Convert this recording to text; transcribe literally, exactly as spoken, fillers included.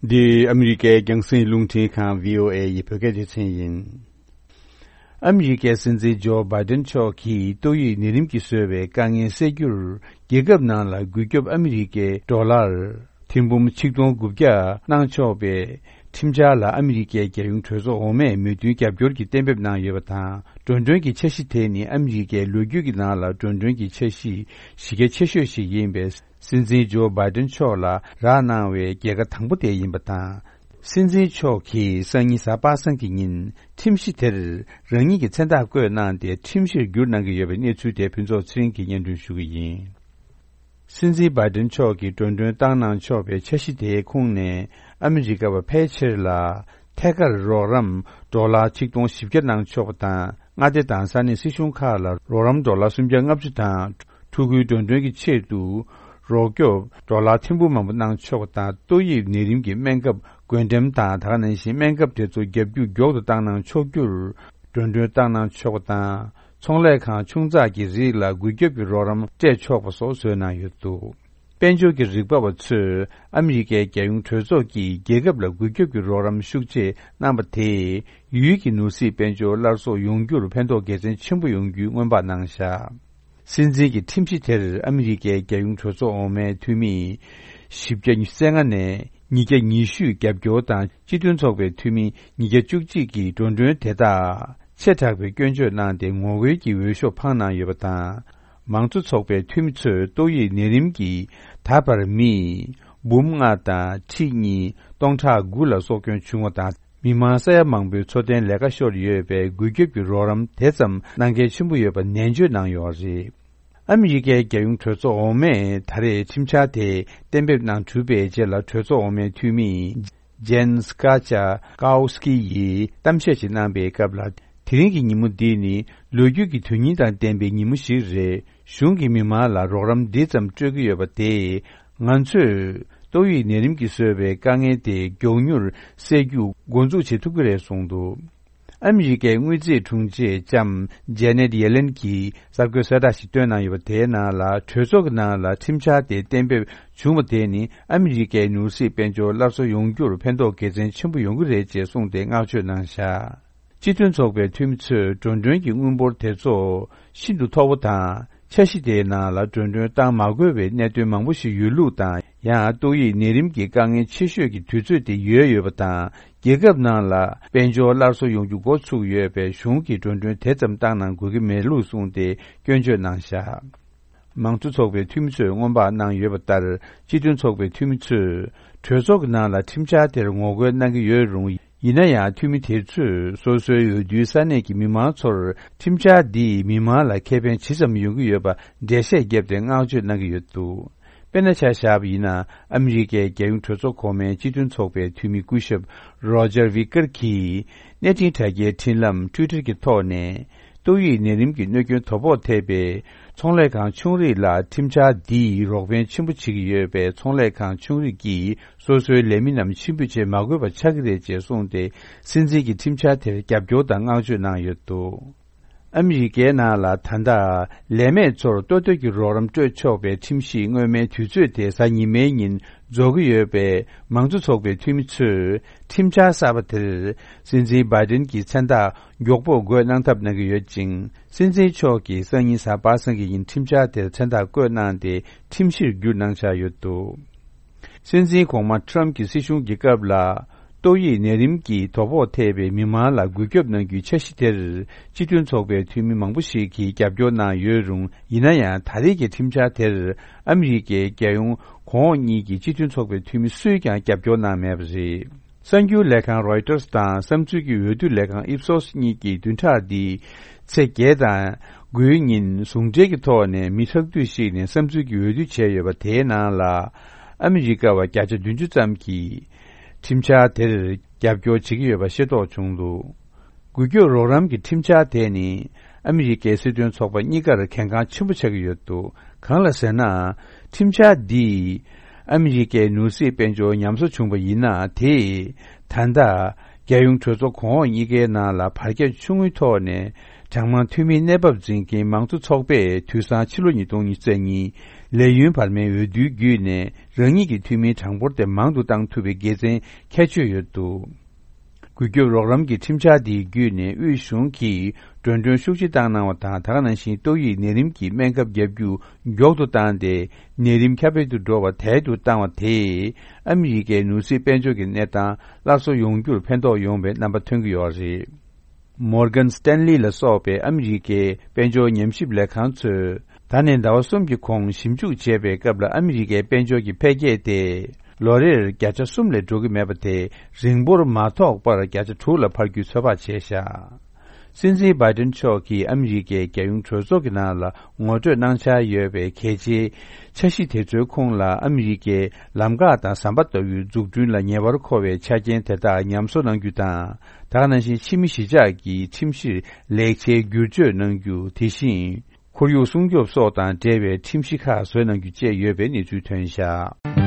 འདི་ཨ་མི་རི་ཀའི་རྒྱང་སྲིང་རླུང་འཕྲིན་ཁང་བྷི་ཨོ་ཨེ་ཡི་བོད་སྐད་སྡེ་ཚན་ཡིན། ཨ་མི་རི་ཀའི་སྲིད་འཛིན་ཇོ་བྷའི་ཏན་མཆོག་གིས་ཏོག་དབྱིབས་ནད་རིམས་ཀྱིས་བཟོས་པའི་དཀའ་ངལ་སེལ་རྒྱུར། རྒྱལ་ཁབ་ནང་ལ་རྒུད་སྐྱོབ་ཨ་མི་རི་ཀའི་ཌོ་ལར་ཐེར་འབུམ་ཆིག་སྟོང་དགུ་བརྒྱ་གནང་ཆོག་པའི་ཁྲིམས་འཆར་ལ་ཨ་མི་རི་ཀའི་རྒྱལ་ཡོངས་གྲོས་ཚོགས་འོག་མས་མོས་མཐུན་རྒྱབ་སྐྱོར་གྱི་གཏན་འབེབས་གནང་ཡོད་པ་དང་། འགྲོ་གྲོན་གྱི་འཆར་གཞི་དེ་ནི་ཨ་མི་རི་ཀའི་ལོ་རྒྱུས་ཀྱི་ནང་ལ་འགྲོ་གྲོན་གྱི་འཆར་གཞི་གཞི་རྒྱ་ཆེ་ཤོས་ཤིག་ཡིན་པས། སྲིད་འཛིན་ཇོ་བྷའི་ཏན་མཆོག་ལ་རག་གནང་བའི་རྒྱལ་ཁ་དང་པོ་དེ་ཡིན་པ་དང་། སྲིད་འཛིན་མཆོག་གིས་སང་ཉིན་གཟའ་པ་སངས་ཀྱི་ཉིན་ཁྲིམས་གཞི་དེར་རང་ཉིད་ཀྱི་མཚན་རྟགས་བཀོད་གནང་སྟེ་ཁྲིམས་གཞིར་བསྒྱུར་གནང་གི་ཡོད་པའི་གནས་ཚུལ་དེ་ཕུན་ཚོགས་ཚེ་རིང་གིས་སྙན་སྒྲོན་ཞུ་གི་ཡིན། སྲིད་འཛིན་བྷའི་ཏན་མཆོག་གིས་འགྲོ་གྲོན་བཏང་གནང་ཆོག་པའི་འཆར་གཞི་དེའི་ཁོངས་ནས་ཨ་མི་རི་ཀ་བ་ཕལ་ཆེར་ལ་ཐད་ཀར་རོགས་རམ་ཌོ་ལར་ཆིག་སྟོང་བཞི་བརྒྱ་གནང་ཆོག་པ་དང་། མངའ་སྡེ་དང་ས་གནས་སྲིད་གཞུང་ཁག་ལ་རོགས་རམ་ཌོ་ལར་སུམ་བརྒྱ་ལྔ་བཅུ་དང་། ཕྲུ་གུའི་འགྲོ་གྲོན་གྱི་ཆེད་དུ་རོགས་སྐྱོབ་ཌོ་ལར་ཐེར་འབུམ་མང་པོ་གནང་ཆོག་པ་དང་། ཏོག་དབྱིབས་ནད་རིམས་ཀྱི་སྨན་ཁབ་བགོ་འགྲེམས་དང་། ད་ག་ནང་བཞིན་སྨན་ཁབ་དེ་ཚོ་རྒྱབ་རྒྱུག་མགྱོགས་དུ་བཏང་གནང་ཆོག་རྒྱུར་འགྲོ་གྲོན་བཏང་གནང་ཆོག་པ་དང་། ཚོང་ལས་ཁང་ཆུང་ཙག་གི་རིགས་ལ་རྒུད་སྐྱོབ་ཀྱི་རོགས་རམ་སྤྲད་ཆོག་པ་སོགས་བཟོས་གནང་ཡོད་འདུག་དཔལ་འབྱོར་གྱི་རིག་པ་བ་ཚོས་ཨ་མི་རི་ཀའི་རྒྱལ་ཡོངས་གྲོས་ཚོགས་ཀྱིས་རྒྱལ་ཁབ་ལ་རྒུད་སྐྱོབ་ཀྱི་རོགས་རམ་ཤུགས་ཆེ་གནང་པ་དེས། ཡུལ་གྱི་ནོར་སྲིད་དཔལ་འབྱོར་སླར་གསོ་ཡོང་རྒྱུར་ཕན་ཐོགས་དགེ་མཚན་ཆེན་པོ་ཡོང་རྒྱུའི་སྔོན་དཔག་གནང་བཞག་སྲིད་འཛིན་གྱི་ཁྲིམས་གཞི་དེར་ཨ་མི་རི་ཀའི་རྒྱལ་ཡོངས་གྲོས་ཚོགས་འོག་མའི་འཐུས་མི་བཞི་བརྒྱ་རྩ་ལྔ་ནས་ཉིས་བརྒྱ་ཉི་ཤུས་རྒྱབ་སྐྱོར་དང་། སྤྱི་མཐུན་ཚོགས་པའི་འཐུས་མི་ཉིས་བརྒྱ་བཅུ་གཅིག་གིས་འགྲོ་གྲོན་དེ་དག་ཆེ་དྲགས་པའི་སྐྱོན་བརྗོད་གནང་སྟེ་ངོ་རྒོལ་གྱི་འོས་ཤོག་འཕངས་གནང་ཡོད་པ་དང་། མང་གཙོ་ཚོགས་པའི་འཐུས་མི་ཚོས་ཏོག་དབྱིབས་ནད་རིམས་ཀྱིས་ད་བར་མི་འབུམ་ལྔ་དང་ཁྲི་གཉིས་སྟོང་ཕྲག་དགུ་ལ་སྲོག་སྐྱོན་བྱུང་བ་དང་། མི་མང་ས་ཡ་མང་པོའི་འཚོ་རྟེན་ལས་ཀ་ཤོར་ཡོད་པས། རྒུད་སྐྱོབ་ཀྱི་རོགས་རམ་དེ་ཙམ་གནང་གལ་ཆེན་པོ་ཡོད་པ་ནན་བརྗོད་གནང་ཡོད་རེད། ཨ་མི་རི་ཀའི་རྒྱལ་ཡོངས་གྲོས་ཚོགས་འོག་མས་ད་རེས་ཁྲིམས་འཆར་དེ་གཏན་འབེབས་གནང་གྲུབ་པའི་རྗེས་ལ། གྲོས་ཚོགས་འོག་མའི་འཐུས་མི་ཇན་སྐ་ཅ་ཀའོ་སི་ཀི་ཡིས་གཏམ་བཤད་ཅིག་གནང་པའི་སྐབས་ལ། དེ་རིང་གི་ཉིན་མོ་འདི་ནི་ལོ་རྒྱུས་ཀྱི་དོན་སྙིང་དང་ལྡན་པའི་ཉིན་མོ་ཞིག་རེད། གཞུང་གིས་མི་མང་ལ་རོགས་རམ་འདི་ཙམ་སྤྲོད་ཀྱི་ཡོད་པ་དེས། ང་ཚོས་ཏོག་དབྱིབས་ནད་རིམས་ཀྱིས་བཟོས་པའི་དཀའ་ངལ་དེ་མགྱོགས་མྱུར་སེལ་རྒྱུ་འགོ་འཛུགས་བྱེད་ཐུབ་ཀྱི་རེད་གསུངས་འདུག་ཨ་མི་རི་ཀའི་དངུལ་རྩིས་དྲུང་ཆེ་ལྕམ་ཇེ་ནེད་ཡེ་ལེན་གྱིས་གསར་འགོད་གསལ་བསྒྲགས་ཤིག་བཏོན་གནང་ཡོད་པ། དེའི་ནང་ལ། གྲོས་ཚོགས་ཀྱི་ནང་ལ་ཁྲིམས་འཆར་དེ་གཏན་འབེབས་བྱུང་བ་དེ་ནི་ཨ་མི་རི་ཀའི་ནོར་སྲིད་དཔལ་འབྱོར་སླར་གསོ་ཡོང་རྒྱུར་ཕན་ཐོགས་དགེ་མཚན་ཆེན་པོ་ཡོང་གི་རེད་ཅེས་གསུངས་ཏེ་བསྔགས་བརྗོད་གནང་བཞག་སྤྱི་མཐུན་ཚོགས་པའི་འཐུས་མི་ཚོས་འགྲོ་གྲོན་གྱི་དངུལ་འབོར་དེ་ཚོ་ཤིན་ཏུ་མཐོ་པོ་དང་། འཆར་གཞི་དེའི་ནང་ལ་འགྲོ་གྲོན་བཏང་མ་དགོས་པའི་གནད་དོན་མང་པོ་ཞིག་ཡོད་ལུགས་དང་། ཡང་ཏོག་དབྱིབས་ནད་རིམས་ཀྱི་དཀའ་ངལ་ཆེ་ཤོས་ཀྱི་དུས་ཚོད་དེ་ཡོལ་ཡོད་པ་དང་། རྒྱལ་ཁབ་ནང་ལ་དཔལ་འབྱོར་སླར་གསོ་ཡོང་རྒྱུ་འགོ་ཚུགས་ཡོད་པས། གཞུང་གིས་འགྲོ་གྲོན་དེ་ཙམ་བཏང་གནང་དགོས་ཀྱི་མེད་ལུགས་གསུངས་ཏེ་སྐྱོན་བརྗོད་གནང་བཞག་མང་གཙོ་ཚོགས་པའི་འཐུས་མི་ཚོས་སྔོན་དཔག་གནང་ཡོད་པ་ལྟར། སྤྱི་མཐུན་ཚོགས་པའི་འཐུས་མི་ཚོས་གྲོས་ཚོགས་ཀྱི་ནང་ལ་ཁྲིམས་འཆར་དེར་ངོ་རྒོལ་གནང་གི་ཡོད་རུང་། ཡིན་ན་ཡང་། འཐུས་མི་དེ་ཚོས་སོ་སོའི་འོས་བསྡུའི་ས་གནས་ཀྱི་མི་མང་ཚོར། ཁྲིམས་འཆར་འདིས་མི་མང་ལ་ཁེ་ཕན་ཇི་ཙམ་ཡོང་གི་ཡོད་པ་འགྲེལ་བཤད་བརྒྱབ་སྟེ་བསྔགས་བརྗོད་གནང་གི་ཡོད་འདུག་དཔེར་ན་ཆ་བཞག་པ་ཡིན་ན། ཨ་མི་རི་ཀའི་རྒྱལ་ཡོངས་གྲོས་ཚོགས་གོང་མའི་སྤྱི་མཐུན་ཚོགས་པའི་འཐུས་མི་སྐུ་ཞབས་རོ་ཇར་ཝི་ཀར་གྱིས། གནས་འཕྲིན་དྲ་རྒྱའི་འཕྲིན་ལམ་ཊུའི་ཊར་གྱི་ཐོག་ནས། ཏོག་དབྱིབས་ནད་རིམས་ཀྱི་གནོད་སྐྱོན་དོ་ཕོག་ཐེབས་པའི་ཚོང་ལས་ཁང་ཆུང་རིགས་ལ། ཁྲིམས་འཆར་འདིས་རོགས་ཕན་ཆེན་པོ་བྱེད་ཀྱི་ཡོད་པས། ཚོང་ལས་ཁང་ཆུང་རིགས་ཀྱིས་སོ་སོའི་ལས་མི་རྣམས་ཕྱིར་འབུད་བྱེད་མ་དགོས་པ་ཆགས་ཀྱི་རེད་ཅེས་གསུངས་ཏེ། སྲིད་འཛིན་གྱི་ཁྲིམས་འཆར་དེར་རྒྱབ་སྐྱོར་དང་བསྔགས་བརྗོད་གནང་ཡོད་འདུག་ཨ་མི་རི་ཀའི་ནང་ལ་ད་ལྟ་ལས་མེད་ཚོར་ལྟོ་ཐོག་གི་རོགས་རམ་སྤྲོད་ཆོག་པའི་ཁྲིམས་གཞི་སྔོན་མའི་དུས་ཚོད་དེ་གཟའ་ཉི་མའི་ཉིན་རྫོགས་ཀྱི་ཡོད་པས། མང་གཙོ་ཚོགས་པའི་འཐུས་མི་ཚོས་ཁྲིམས་འཆར་གསར་པ་དེར་སྲིད་འཛིན་བྷའི་ཏིན་གྱི་མཚན་རྟགས་མགྱོགས་པོ་འགོད་གནང་ཐབས་གནང་གི་ཡོད་ཅིང་། སྲིད་འཛིན་མཆོག་གིས་སང་ཉིན་གཟའ་པ་སངས་ཀྱི་ཉིན་ཁྲིམས་འཆར་དེར་མཚན་རྟགས་བཀོད་གནང་སྟེ་ཁྲིམས་གཞིར་བསྒྱུར་གནང་འཆར་ཡོད་འདུག་སྲིད་འཛིན་གོང་མ་ཊམ་གྱི་སྲིད་གཞུང་གི་སྐབས་ལ། ཏོག་དབྱིབས་ནད་རིམས་ཀྱི་དོ་ཕོག་ཐེབས་པའི་མི་མང་ལ་རྒུད་སྐྱོབ་གནང་རྒྱུའི་འཆར་གཞི་དེར། སྤྱི་མཐུན་ཚོགས་པའི་འཐུས་མི་མང་པོ་ཞིག་གིས་རྒྱབ་སྐྱོར་གནང་ཡོད་རུང་། ཡིན་ན་ཡང་། ད་རེས་ཀྱི་ཁྲིམས་འཆར་དེར་ཨ་མི་རི་ཀའི་རྒྱལ་ཡོངས་གོང་འོག་གཉིས་ཀྱི་སྤྱི་མཐུན་ཚོགས་པའི་འཐུས་མི་སུས་ཀྱང་རྒྱབ་སྐྱོར་གནང་མེད་པ་རེད། གསར་འགྱུར་ལས་ཁང་རོའི་ཊར་དང་བསམ་ཚུལ་གྱི་འོས་བསྡུ་ལས་ཁང་ཨིབ་སོ་སི་གཉིས་ཀྱིས་བདུན་ཕྲག་འདིའི་ཚེས་བརྒྱད་དང་དགུའི་ཉིན་ཟུང་འབྲེལ་གྱི་ཐོག་ནས་མི་ཁྲག་ཐིག་ཞིག་ནས་བསམ་ཚུལ་གྱི་འོས་བསྡུ་བྱས་ཡོད་པ། དེའི་ནང་ལ་ཨ་མི་རི་ཀ་བ་བརྒྱ་ཆ་བདུན་ཅུ་ཙམ་གྱིས་ཁྲིམས་འཆར་དེར་རྒྱབ་སྐྱོར་བྱེད་ཀྱི་ཡོད་པ་ཤེས་རྟོགས་བྱུང་འདུག་རྒུད་སྐྱོབ་རོགས་རམ་གྱི་ཁྲིམས་འཆར་དེ་ནི་ཨ་མི་རི་ཀའི་སྲིད་དོན་ཚོགས་པ་གཉིས་ཀར་གལ་འགངས་ཆེན་པོ་ཆགས་ཀྱི་ཡོད་འདུག་གང་ལ་ཟེར་ན། ཁྲིམས་འཆར་འདིས་ཨ་མི་རི་ཀའི་ནོར་སྲིད་དཔལ་འབྱོར་ཉམས་གསོ་བྱུང་བ་ཡིན་ན། དེས་ད་ལྟ་རྒྱལ་ཡོངས་གྲོས་ཚོགས་གོང་འོག་གཉིས་ཀའི་ནང་ལ་བར་ཁྱད་ཆུང་ངུའི་ཐོག་ནས་གྲངས་མང་འཐུས་མིའི་གནས་བབ་འཛིན་མཁན་མང་གཙོ་ཚོགས་པས་དུས་སང་ཕྱི་ལོ་ཉིས་སྟོང་ཉི་ཤུ་རྩ་གཉིས་ ལས་ཡུན་བར་མའི་འོས་བསྡུའི་བརྒྱུད་ནས་རང་ཉིད་ཀྱི་འཐུས་མིའི་གྲངས་འབོར་དེ་མང་དུ་བཏང་ཐུབ་པའི་དགེ་མཚན་ཁྱད་ཆོས་ཡོད་འདུག། རྒུད་སྐྱོབ་རོགས་རམ་གྱི་ཁྲིམས་འཆར་འདིའི་བརྒྱུད་ནས་དབུས་གཞུང་གིས་འགྲོ་གྲོན་ཤུགས་ཆེ་བཏང་གནང་བ་དང་། ད་ག་ནང་བཞིན་ཏོག་དབྱིབས་ནད་རིམས་ཀྱི་སྨན་ཁབ་བརྒྱབ་རྒྱུ་མགྱོགས་དུ་བཏང་སྟེ། ནད་རིམས་ཁྱབ་སྤེལ་དུ་འགྲོ་བ་དལ་དུ་བཏང་བ་དེས་ཨ་མི་རི་ཀའི་ནོར་སྲིད་དཔལ་འབྱོར་གྱི་གནས་སྟངས་སླར་གསོ་ཡོང་རྒྱུར་ཕན་ཐོགས་ཡོང་བའི་རྣམ་པ་ཐོན་གྱི་ཡོད་རེད། Morgan Stanley ལ་སོགས་པའི་ཨ་མི་རི་ཀའི་དཔལ་འབྱོར་ཉམས་ཞིབ་ལས་ཁང་ཚོས། ད་ནས་ཟླ་བ་གསུམ་གྱི་གོང་ཞིབ་འཇུག་བྱས་པའི་སྐབས་ལ། ཨ་མི་རི་ཀའི་དཔལ་འབྱོར་གྱི་འཕེལ་རྒྱས་དེ་ལོ་རེར་བརྒྱ་ཆ་གསུམ་ལས་འགྲོ་གི་མེད་པ་དེ་རིང་པོར་མ་ཐོགས་པར་བརྒྱ་ཆ་དྲུག་ལ་འཕར་རྒྱུའི་ཚོད་དཔག་བྱས་བཞག། སྲིད་འཛིན་བྷའི་ཏིན་མཆོག་གིས་ཨ་མི་རི་ཀའི་རྒྱལ་ཡོངས་གྲོས་ཚོགས་ཀྱི་ནང་ལ་ངོ་སྤྲོད་གནང་འཆར་ཡོད་པའི་གལ་ཆེའི་འཆར་གཞི་དེ་ཚོའི་ཁོངས་ལ། ཨ་མི་རི་ཀའི་ལམ་ཁ་དང་ཟམ་པ་ལྟ་བུའི་འཛུགས་སྐྲུན་ལ་ཉེ་བར་མཁོ་བའི་ཆ་རྐྱེན་དེ་དག་ཉམས་གསོ་གནང་རྒྱུ་དང་། ད་ག་ནང་བཞིན་ཕྱི་མི་གཞིས་ཆགས་ཀྱི་ཁྲིམས་གཞིར་ལེགས་ཆའི་བསྒྱུར་བཅོས་གནང་རྒྱུ། དེ་བཞིན་ཁོར་ཡུག་སྲུང་སྐྱོབ་སོགས་དང་འབྲེལ་བའི་ཁྲིམས་གཞི་ཁག་བཟོས་གནང་རྒྱུ་བཅས་ཡོད་པའི་གནས་ཚུལ་ཐོན་བཞག།